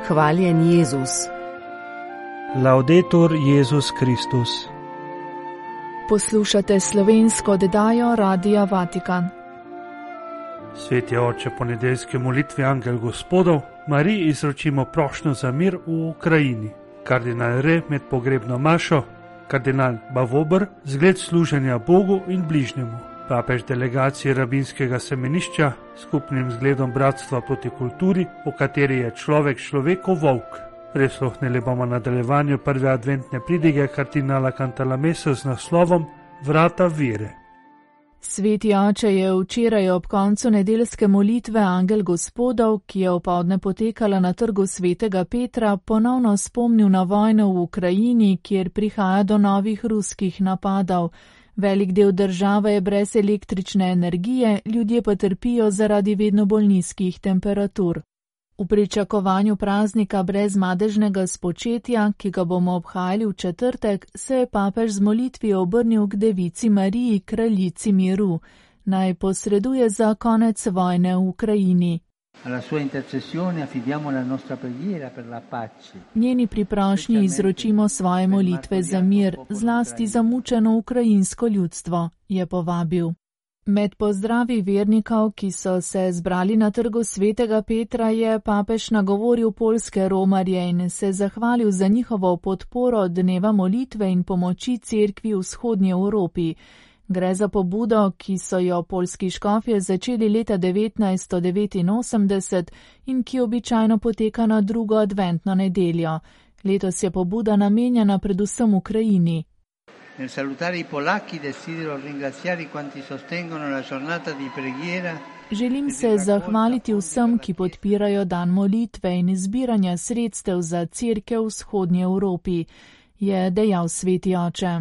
Hvaljen Jezus. Laudetur Jezus Kristus. Poslušate slovensko oddajo Radia Vatikan. Sveti oče, po nedeljski molitvi Angel Gospodov Mariji izročimo prošnjo za mir v Ukrajini. Kardinal Re med pogrebno mašo, kardinal Bavobr zgled služenja Bogu in bližnjemu, papež delegacije rabinskega semenišča skupnim zgledom bratstva proti kulturi, v kateri je človek človekov volk. Prisluhnili bomo nadaljevanju prve adventne pridige kardinala Cantalamessa z naslovom Vrata vere. Sveti oče je včeraj ob koncu nedeljske molitve Angel Gospodov, ki je opoldne potekala na trgu svetega Petra, ponovno spomnil na vojno v Ukrajini, kjer prihaja do novih ruskih napadov. Velik del države je brez električne energije, ljudje pa trpijo zaradi vedno bolj nizkih temperatur. V pričakovanju praznika brez madežnega spočetja, ki ga bomo obhajali v četrtek, se je papež z molitvijo obrnil k devici Mariji, kraljici miru, naj posreduje za konec vojne v Ukrajini. Njeni priprošnji izročimo svoje molitve za mir, zlasti za mučeno ukrajinsko ljudstvo, je povabil. Med pozdravi vernikov, ki so se zbrali na trgu svetega Petra, je papež nagovoril poljske romarje in se zahvalil za njihovo podporo dneva molitve in pomoči cerkvi v vzhodnji Evropi. Gre za pobudo, ki so jo poljski škofje začeli leta 1989 in ki običajno poteka na drugo adventno nedeljo. Letos je pobuda namenjena predvsem Ukrajini. Nel salutare i polacchi desidero ringraziare quanti sostengono la giornata di preghiera. Želim se zahvaliti vsem, ki podpirajo dan molitve in zbiranja sredstev za cerkev v vzhodnji Evropi, je dejal sveti oče.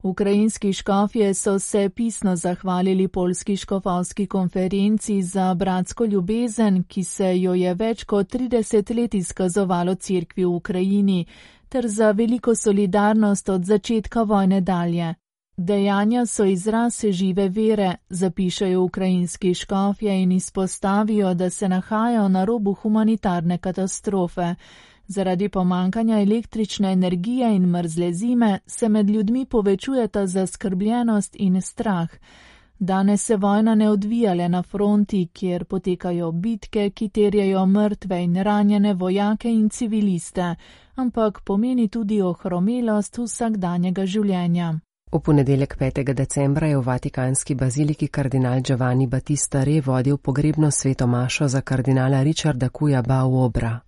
Ukrajinski škofje so se pisno zahvalili poljski škofovski konferenci za bratsko ljubezen, ki se jo je več kot 30 let izkazovalo cerkvi v Ukrajini, ter za veliko solidarnost od začetka vojne dalje. Dejanja so izraz žive vere, zapišajo ukrajinski škofje in izpostavijo, da se nahajajo na robu humanitarne katastrofe. Zaradi pomankanja električne energije in mrzle zime se med ljudmi povečujeta zaskrbljenost in strah. Danes se vojna ne odvija le na fronti, kjer potekajo bitke, ki terjajo mrtve in ranjene vojake in civiliste, ampak pomeni tudi ohromelost vsakdanjega življenja. V ponedeljek 5. decembra je v vatikanski baziliki kardinal Giovanni Battista Re vodil pogrebno sveto mašo za kardinala Richarda Cuja Bauobra.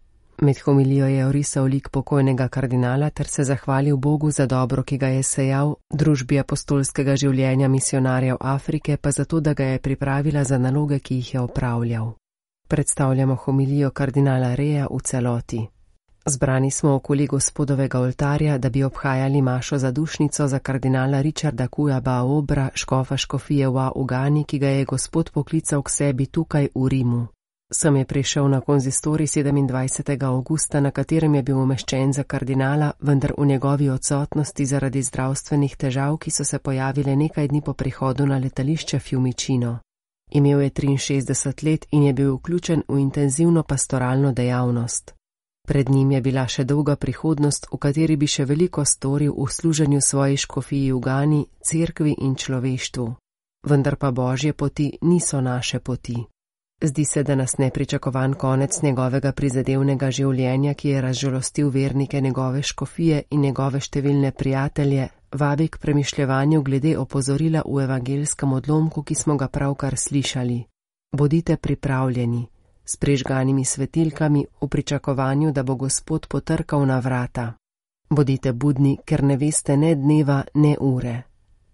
Med homilijo je orisal lik pokojnega kardinala ter se zahvalil Bogu za dobro, ki ga je sejal, družbi apostolskega življenja misionarjev Afrike pa zato, da ga je pripravila za naloge, ki jih je opravljal. Predstavljamo homilijo kardinala Reja v celoti. Zbrani smo okoli Gospodovega oltarja, da bi obhajali mašo zadušnico za kardinala Richarda Cuja Bauobra, škofa škofije v Ugani, ki ga je Gospod poklical k sebi tukaj v Rimu. Sem je prišel na konzistorij 27. avgusta, na katerem je bil umeščen za kardinala, vendar v njegovi odsotnosti zaradi zdravstvenih težav, ki so se pojavile nekaj dni po prihodu na letališče Fiumicino. Imel je 63 let in je bil vključen v intenzivno pastoralno dejavnost. Pred njim je bila še dolga prihodnost, v kateri bi še veliko storil v služenju svoji škofiji v Gani, cerkvi in človeštvu. Vendar pa Božje poti niso naše poti. Zdi se, da nas nepričakovan konec njegovega prizadevnega življenja, ki je razžalostil vernike njegove škofije in njegove številne prijatelje, vabi k premišljevanju glede opozorila v evangelskem odlomku, ki smo ga pravkar slišali. Bodite pripravljeni, s prižganimi svetilkami v pričakovanju, da bo Gospod potrkal na vrata. Bodite budni, ker ne veste ne dneva, ne ure.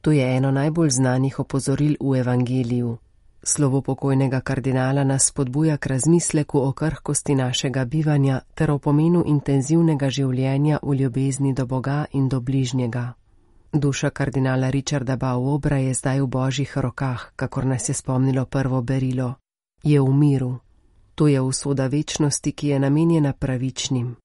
To je eno najbolj znanih opozoril v evangeliju. Slovo pokojnega kardinala nas spodbuja k razmisleku o krhkosti našega bivanja ter o pomenu intenzivnega življenja v ljubezni do Boga in do bližnjega. Duša kardinala Richarda Bauobra je zdaj v Božjih rokah, kakor nas je spomnilo prvo berilo. Je v miru. To je usoda večnosti, ki je namenjena pravičnim.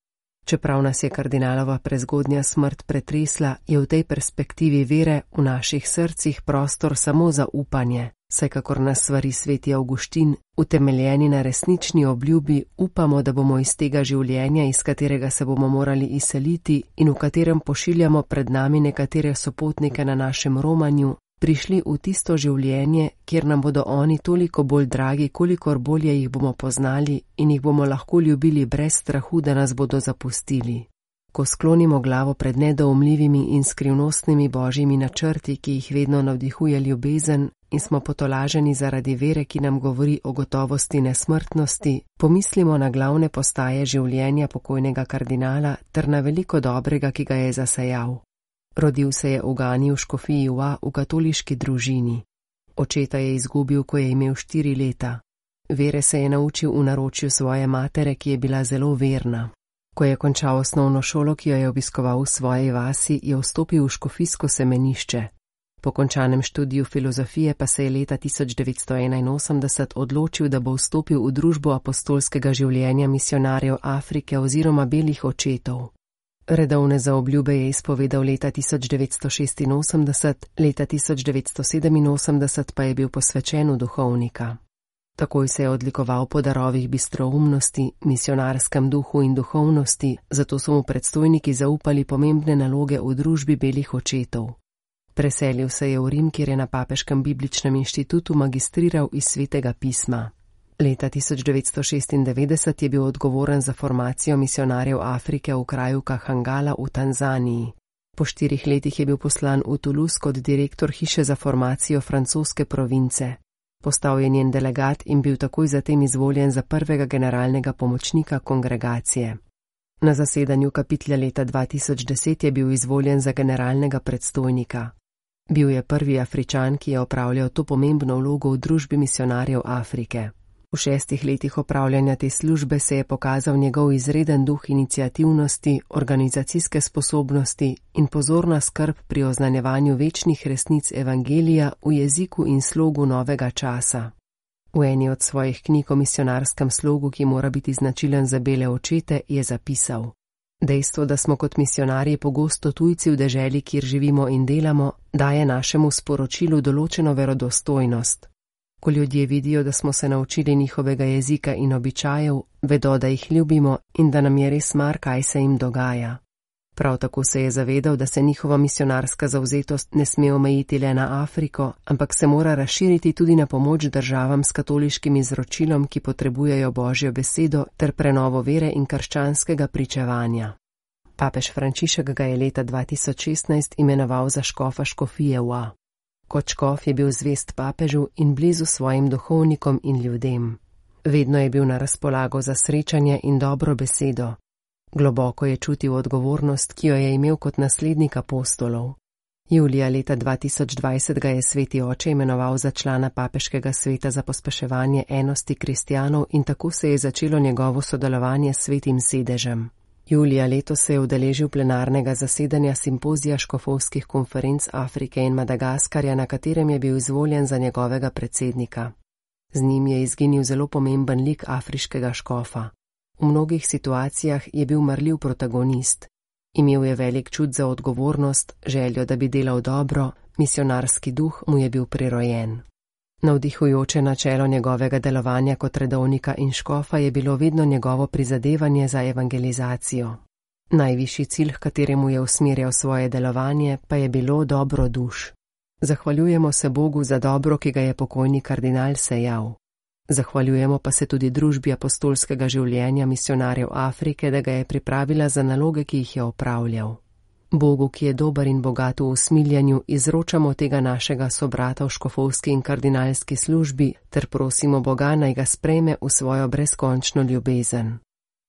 Čeprav nas je kardinalova prezgodnja smrt pretresla, je v tej perspektivi vere v naših srcih prostor samo za upanje, saj kakor nas svari sveti Avguštin, utemeljeni na resnični obljubi, upamo, da bomo iz tega življenja, iz katerega se bomo morali izseliti in v katerem pošiljamo pred nami nekatere sopotnike na našem romanju, prišli v tisto življenje, kjer nam bodo oni toliko bolj dragi, kolikor bolje jih bomo poznali in jih bomo lahko ljubili brez strahu, da nas bodo zapustili. Ko sklonimo glavo pred nedoumljivimi in skrivnostnimi božjimi načrti, ki jih vedno navdihuje ljubezen, in smo potolaženi zaradi vere, ki nam govori o gotovosti nesmrtnosti, pomislimo na glavne postaje življenja pokojnega kardinala ter na veliko dobrega, ki ga je zasejal. Rodil se je v Gani v škofiji Ua v katoliški družini. Očeta je izgubil, ko je imel 4 leta. Vere se je naučil v naročju svoje matere, ki je bila zelo verna. Ko je končal osnovno šolo, ki jo je obiskoval v svoji vasi, je vstopil v škofijsko semenišče. Po končanem študiju filozofije pa se je leta 1981 odločil, da bo vstopil v družbo apostolskega življenja misionarjev Afrike oziroma belih očetov. Redovne zaobljube je izpovedal leta 1986, leta 1987 pa je bil posvečen v duhovnika. Takoj se je odlikoval po darovih bistroumnosti, misionarskem duhu in duhovnosti, zato so mu predstojniki zaupali pomembne naloge v družbi belih očetov. Preselil se je v Rim, kjer je na Papeškem bibličnem inštitutu magistriral iz Svetega pisma. Leta 1996 je bil odgovoren za formacijo misionarjev Afrike v kraju Kahangala v Tanzaniji. Po 4 letih je bil poslan v Toulouse kot direktor hiše za formacijo francoske province. Postal je njen delegat in bil takoj zatem izvoljen za prvega generalnega pomočnika kongregacije. Na zasedanju kapitla leta 2010 je bil izvoljen za generalnega predstojnika. Bil je prvi Afričan, ki je opravljal to pomembno vlogo v družbi misionarjev Afrike. V 6 letih opravljanja te službe se je pokazal njegov izreden duh iniciativnosti, organizacijske sposobnosti in pozorna skrb pri oznanjevanju večnih resnic evangelija v jeziku in slogu novega časa. V eni od svojih knjig o misionarskem slogu, ki mora biti značilen za bele očete, je zapisal: Dejstvo, da smo kot misionarji pogosto tujci v deželi, kjer živimo in delamo, daje našemu sporočilu določeno verodostojnost. Ko ljudje vidijo, da smo se naučili njihovega jezika in običajev, vedo, da jih ljubimo in da nam je res mar, kaj se jim dogaja. Prav tako se je zavedal, da se njihova misionarska zavzetost ne sme omejiti le na Afriko, ampak se mora razširiti tudi na pomoč državam s katoliškim izročilom, ki potrebujejo Božjo besedo ter prenovo vere in krščanskega pričevanja. Papež Frančišek ga je leta 2016 imenoval za škofa škofije Ua. Kot škof je bil zvest papežu in blizu svojim duhovnikom in ljudem. Vedno je bil na razpolago za srečanje in dobro besedo. Globoko je čutil odgovornost, ki jo je imel kot naslednik apostolov. Julija leta 2020 ga je sveti oče imenoval za člana papeškega sveta za pospeševanje enosti kristjanov in tako se je začelo njegovo sodelovanje s svetim sedežem. Julija letos se je udeležil plenarnega zasedanja simpozija škofovskih konferenc Afrike in Madagaskarja, na katerem je bil izvoljen za njegovega predsednika. Z njim je izginil zelo pomemben lik afriškega škofa. V mnogih situacijah je bil marljiv protagonist. Imel je velik čut za odgovornost, željo, da bi delal dobro, misionarski duh mu je bil prirojen. Navdihujoče načelo njegovega delovanja kot redovnika in škofa je bilo vedno njegovo prizadevanje za evangelizacijo. Najvišji cilj, h kateremu je usmerjal svoje delovanje, pa je bilo dobro duš. Zahvaljujemo se Bogu za dobro, ki ga je pokojni kardinal sejal. Zahvaljujemo pa se tudi družbi apostolskega življenja misionarjev Afrike, da ga je pripravila za naloge, ki jih je opravljal. Bogu, ki je dober in bogat v usmiljanju, izročamo tega našega sobrata v škofovski in kardinalski službi ter prosimo Boga, naj ga sprejme v svojo brezkončno ljubezen.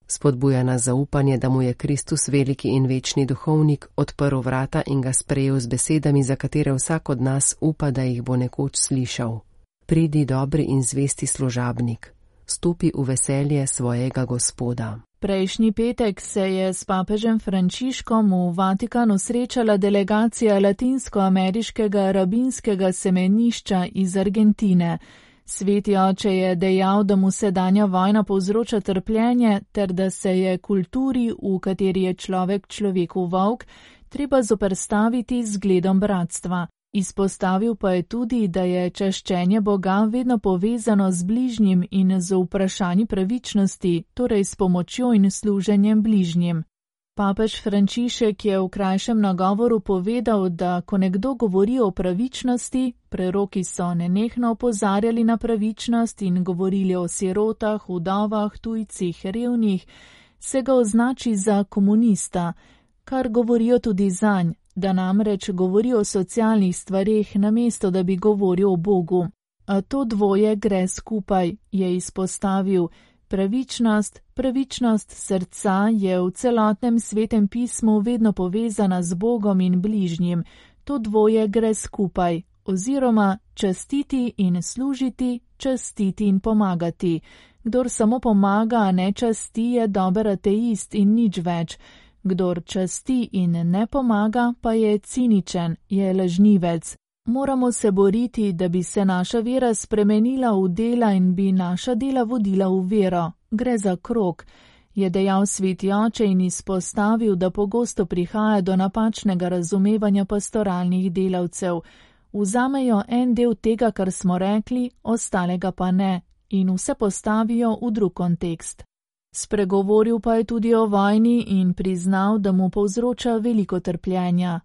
Spodbuja nas zaupanje, da mu je Kristus veliki in večni duhovnik odprl vrata in ga sprejel z besedami, za katere vsak od nas upa, da jih bo nekoč slišal. Pridi, dobri in zvesti služabnik, stopi v veselje svojega Gospoda. Prejšnji petek se je s papežem Frančiškom v Vatikanu srečala delegacija latinskoameriškega rabinskega semenišča iz Argentine. Sveti oče je dejal, da mu sedanja vojna povzroča trpljenje ter da se je kulturi, v kateri je človek človeku volk, treba zoperstaviti z zgledom bratstva. Izpostavil pa je tudi, da je čaščenje Boga vedno povezano z bližnjim in z vprašanji pravičnosti, torej s pomočjo in služenjem bližnjim. Papež Frančišek je v krajšem nagovoru povedal, da ko nekdo govori o pravičnosti, preroki so nenehno opozarjali na pravičnost in govorili o sirotah, vdovah, tujcih, revnih, se ga označi za komunista, kar govorijo tudi zanj, da namreč govori o socialnih stvareh, namesto da bi govoril o Bogu. A to dvoje gre skupaj, je izpostavil. Pravičnost srca je v celotnem svetem pismu vedno povezana z Bogom in bližnjim. To dvoje gre skupaj, oziroma častiti in služiti, častiti in pomagati. Kdor samo pomaga, a ne časti, je dober ateist in nič več. Kdor časti in ne pomaga, pa je ciničen, je lažnivec. Moramo se boriti, da bi se naša vera spremenila v dela in bi naša dela vodila v vero. Gre za krog, je dejal sveti oče in izpostavil, da pogosto prihaja do napačnega razumevanja pastoralnih delavcev. Vzamejo en del tega, kar smo rekli, ostalega pa ne, in vse postavijo v drug kontekst. Spregovoril pa je tudi o vojni in priznal, da mu povzroča veliko trpljenja.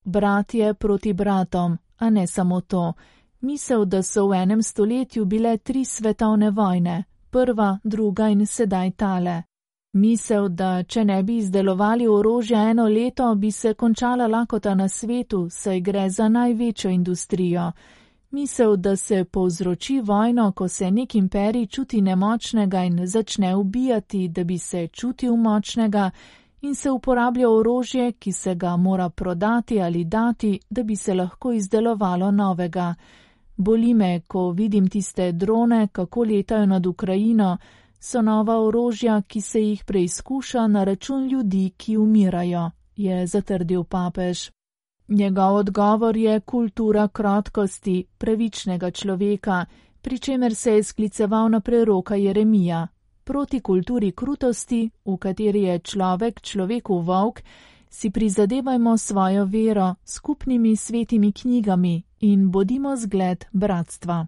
Bratje proti bratom, a ne samo to. Misel, da so v enem stoletju bile 3 svetovne vojne, prva, druga in sedaj tale. Misel, da če ne bi izdelovali orožja 1 leto, bi se končala lakota na svetu, saj gre za največjo industrijo. Misel, da se povzroči vojno, ko se nek imperij čuti nemočnega in začne ubijati, da bi se čutil močnega, in se uporablja orožje, ki se ga mora prodati ali dati, da bi se lahko izdelovalo novega. Boli me, ko vidim tiste drone, kako letajo nad Ukrajino, so nova orožja, ki se jih preizkuša na račun ljudi, ki umirajo, je zatrdil papež. Njegov odgovor je kultura krotkosti, pravičnega človeka, pri čemer se je skliceval na preroka Jeremija. Proti kulturi krutosti, v kateri je človek človeku volk, si prizadevajmo svojo vero, skupnimi svetimi knjigami in bodimo zgled bratstva.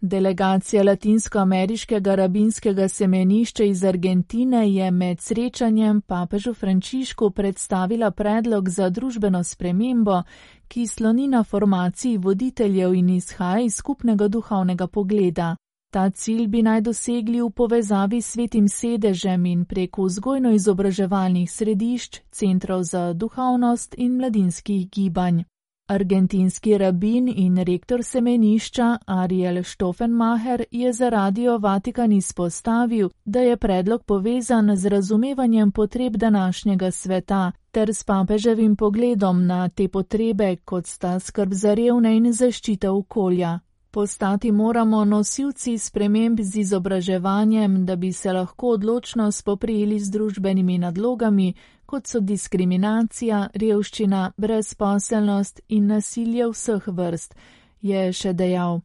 Delegacija latinskoameriškega rabinskega semenišča iz Argentine je med srečanjem papežu Frančišku predstavila predlog za družbeno spremembo, ki sloni na formaciji voditeljev in izhaja iz skupnega duhovnega pogleda. Ta cilj bi naj dosegli v povezavi s Svetim sedežem in preko vzgojno-izobraževalnih središč, centrov za duhovnost in mladinskih gibanj. Argentinski rabin in rektor semenišča Ariel Stoffenmacher je za Radio Vatikan izpostavil, da je predlog povezan z razumevanjem potreb današnjega sveta ter s papeževim pogledom na te potrebe, kot sta skrb za revne in zaščita okolja. Postati moramo nosilci sprememb z izobraževanjem, da bi se lahko odločno spoprijeli z družbenimi nadlogami, kot so diskriminacija, revščina, brezposelnost in nasilje vseh vrst, je še dejal.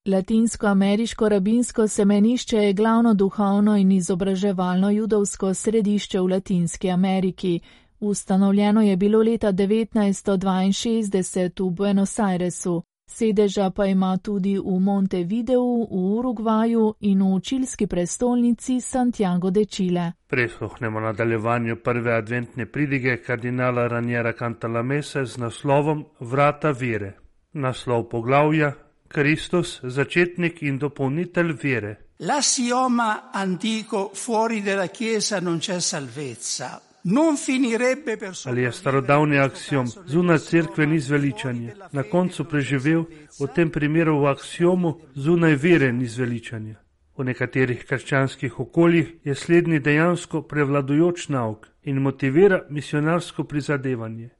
Latinskoameriško rabinsko semenišče je glavno duhovno in izobraževalno judovsko središče v Latinski Ameriki. Ustanovljeno je bilo leta 1962 v Buenos Airesu. Sedeža pa ima tudi v Montevideu, v Urugvaju in v čilski prestolnici Santiago de Chile. Prisluhnemo nadaljevanju prve adventne pridige kardinala Raniera Cantalamesse z naslovom Vrata vere. Naslov poglavja: Kristus, začetnik in dopolnitelj vere. L'assioma antico fuori della Chiesa non c'è salvezza. Non finirebbe per Ali je starodavni aksiom, zunaj cerkve ni zveličanje, na koncu preživel, v tem primeru v aksiomu, zunaj vere ni zveličanje. V nekaterih krščanskih okoljih je slednji dejansko prevladujoč nauk in motivira misionarsko prizadevanje.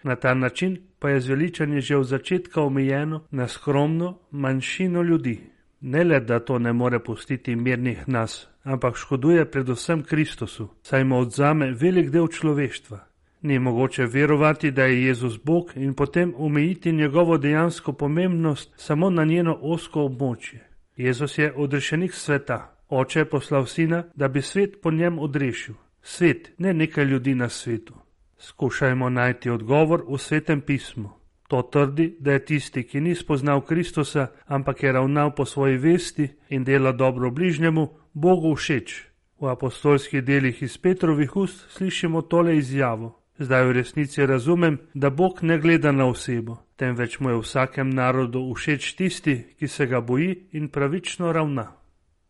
Na ta način pa je zveličanje že od začetka omejeno na skromno manjšino ljudi. Ne le, da to ne more pustiti mirnih nas, ampak škoduje predvsem Kristusu, saj mu odzame velik del človeštva. Ni mogoče verovati, da je Jezus Bog in potem omejiti njegovo dejansko pomembnost samo na njeno ozko območje. Jezus je odrešenik sveta. Oče je poslal sina, da bi svet po njem odrešil. Svet, ne nekaj ljudi na svetu. Skušajmo najti odgovor v Svetem pismu. To trdi, da je tisti, ki ni spoznal Kristusa, ampak je ravnal po svoji vesti in dela dobro bližnjemu, Bogu všeč. V apostolskih delih iz Petrovih ust slišimo tole izjavo. Zdaj v resnici razumem, da Bog ne gleda na osebo, temveč mu je v vsakem narodu všeč tisti, ki se ga boji in pravično ravna.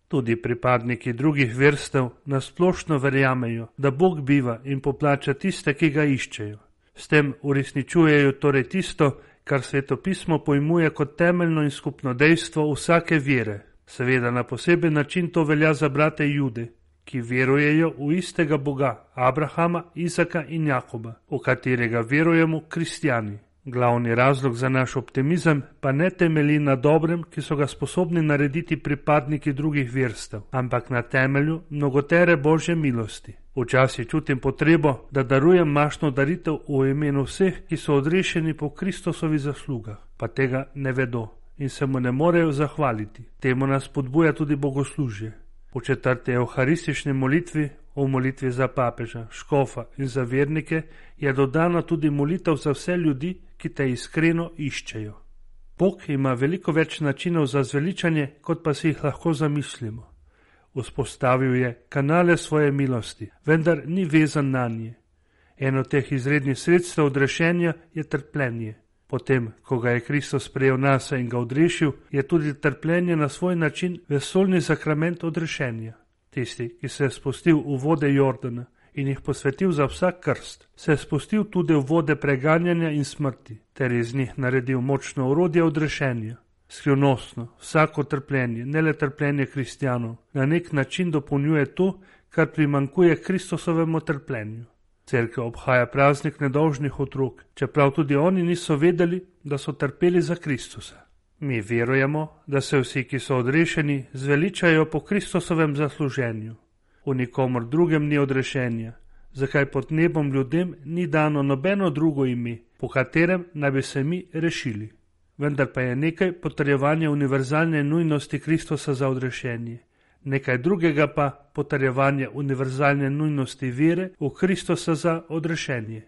Tudi pripadniki drugih verstev nasplošno verjamejo, da Bog biva in poplača tiste, ki ga iščejo. S tem uresničujejo torej tisto, kar Svetopismo pojmuje kot temeljno in skupno dejstvo vsake vere. Seveda na poseben način to velja za brate Jude, ki verujejo v istega Boga, Abrahama, Izaka in Jakoba, v katerega verujemo kristjani. Glavni razlog za naš optimizem pa ne temelji na dobrem, ki so ga sposobni narediti pripadniki drugih verstev, ampak na temelju mnogotere Božje milosti. Včasih čutim potrebo, da darujem mašno daritev v imenu vseh, ki so odrešeni po Kristusovi zaslugah, pa tega ne vedo in se mu ne morejo zahvaliti. Temu nas spodbuja tudi bogoslužje. V 4. evharistični molitvi, v molitvi za papeža, škofa in za vernike, je dodana tudi molitev za vse ljudi, ki te iskreno iščejo. Bog ima veliko več načinov za zveličanje, kot pa si jih lahko zamislimo. Vzpostavil je kanale svoje milosti, vendar ni vezan na nje. Eno teh izrednih sredstev odrešenja je trpljenje. Potem, ko ga je Kristus sprejel nase in ga odrešil, je tudi trpljenje na svoj način vesoljni sakrament odrešenja. Tisti, ki se je spustil v vode Jordana in jih posvetil za vsak krst, se je spustil tudi v vode preganjanja in smrti, ter iz njih naredil močno orodje odrešenja. Skrivnostno, vsako trpljenje, ne le trpljenje kristjanov, na nek način dopolnjuje to, kar primankuje Kristusovemu trpljenju. Cerkev obhaja praznik nedolžnih otrok, čeprav tudi oni niso vedeli, da so trpeli za Kristusa. Mi verujemo, da se vsi, ki so odrešeni, zveličajo po Kristusovem zasluženju. V nikomor drugem ni odrešenja, zakaj pod nebom ljudem ni dano nobeno drugo ime, po katerem naj bi se mi rešili. Vendar pa je nekaj potrjevanje univerzalne nujnosti Kristusa za odrešenje. Nekaj drugega pa potrjevanje univerzalne nujnosti vere v Kristusa za odrešenje.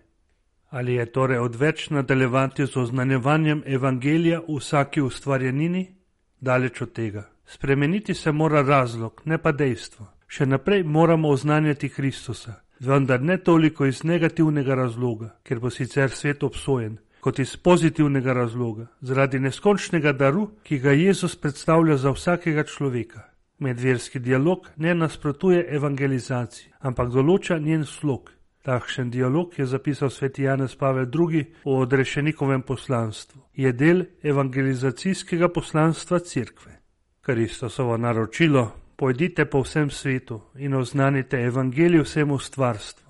Ali je torej odveč nadaljevati z oznanjevanjem evangelija v vsaki ustvarjenini? Daleč od tega. Spremeniti se mora razlog, ne pa dejstvo. Še naprej moramo oznanjati Kristusa, vendar ne toliko iz negativnega razloga, ker bo sicer svet obsojen, kot iz pozitivnega razloga, zaradi neskončnega daru, ki ga Jezus predstavlja za vsakega človeka. Medverski dialog ne nasprotuje evangelizaciji, ampak določa njen slog. Takšen dialog je zapisal sveti Janez Pavel II. O odrešenikovem poslanstvu. Je del evangelizacijskega poslanstva Cerkve. Kristusovo naročilo: pojdite po vsem svetu in oznanite evangelij vsemu stvarstvu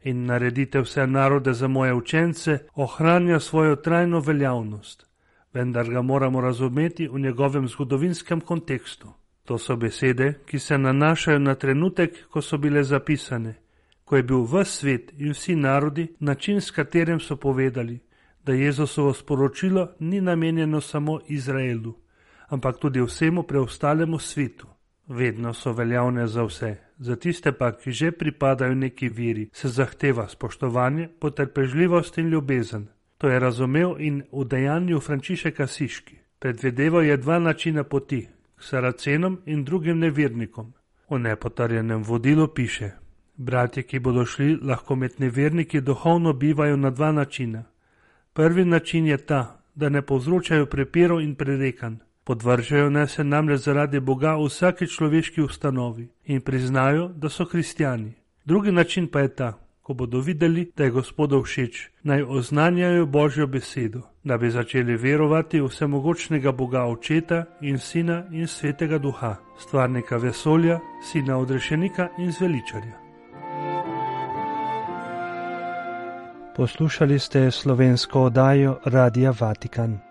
in naredite vse narode za moje učence, ohranja svojo trajno veljavnost, vendar ga moramo razumeti v njegovem zgodovinskem kontekstu. To so besede, ki se nanašajo na trenutek, ko so bile zapisane, ko je bil ves svet in vsi narodi način, s katerim so povedali, da Jezusovo sporočilo ni namenjeno samo Izraelu, ampak tudi vsemu preostalemu svetu. Vedno so veljavne za vse, za tiste pa, ki že pripadajo neki veri, se zahteva spoštovanje, potrpežljivost in ljubezen. To je razumel in v dejanju Frančišek Asiški. Predvideval je dva načina poti, k Saracenom in drugim nevernikom. V nepotrjenem vodilu piše: bratje, ki bodo šli, lahko med neverniki duhovno bivajo na dva načina. Prvi način je ta, da ne povzročajo prepirov in prerekanj. Podvržajo naj se namreč zaradi Boga v vsaki človeški ustanovi in priznajo, da so kristjani. Drugi način pa je ta, ko bodo videli, da je Gospodu všeč, naj oznanjajo Božjo besedo, da bi začeli verovati v vsemogočnega Boga Očeta in Sina in Svetega Duha, stvarnika vesolja, Sina odrešenika in zveličarja. Poslušali ste slovensko oddajo Radia Vatikan.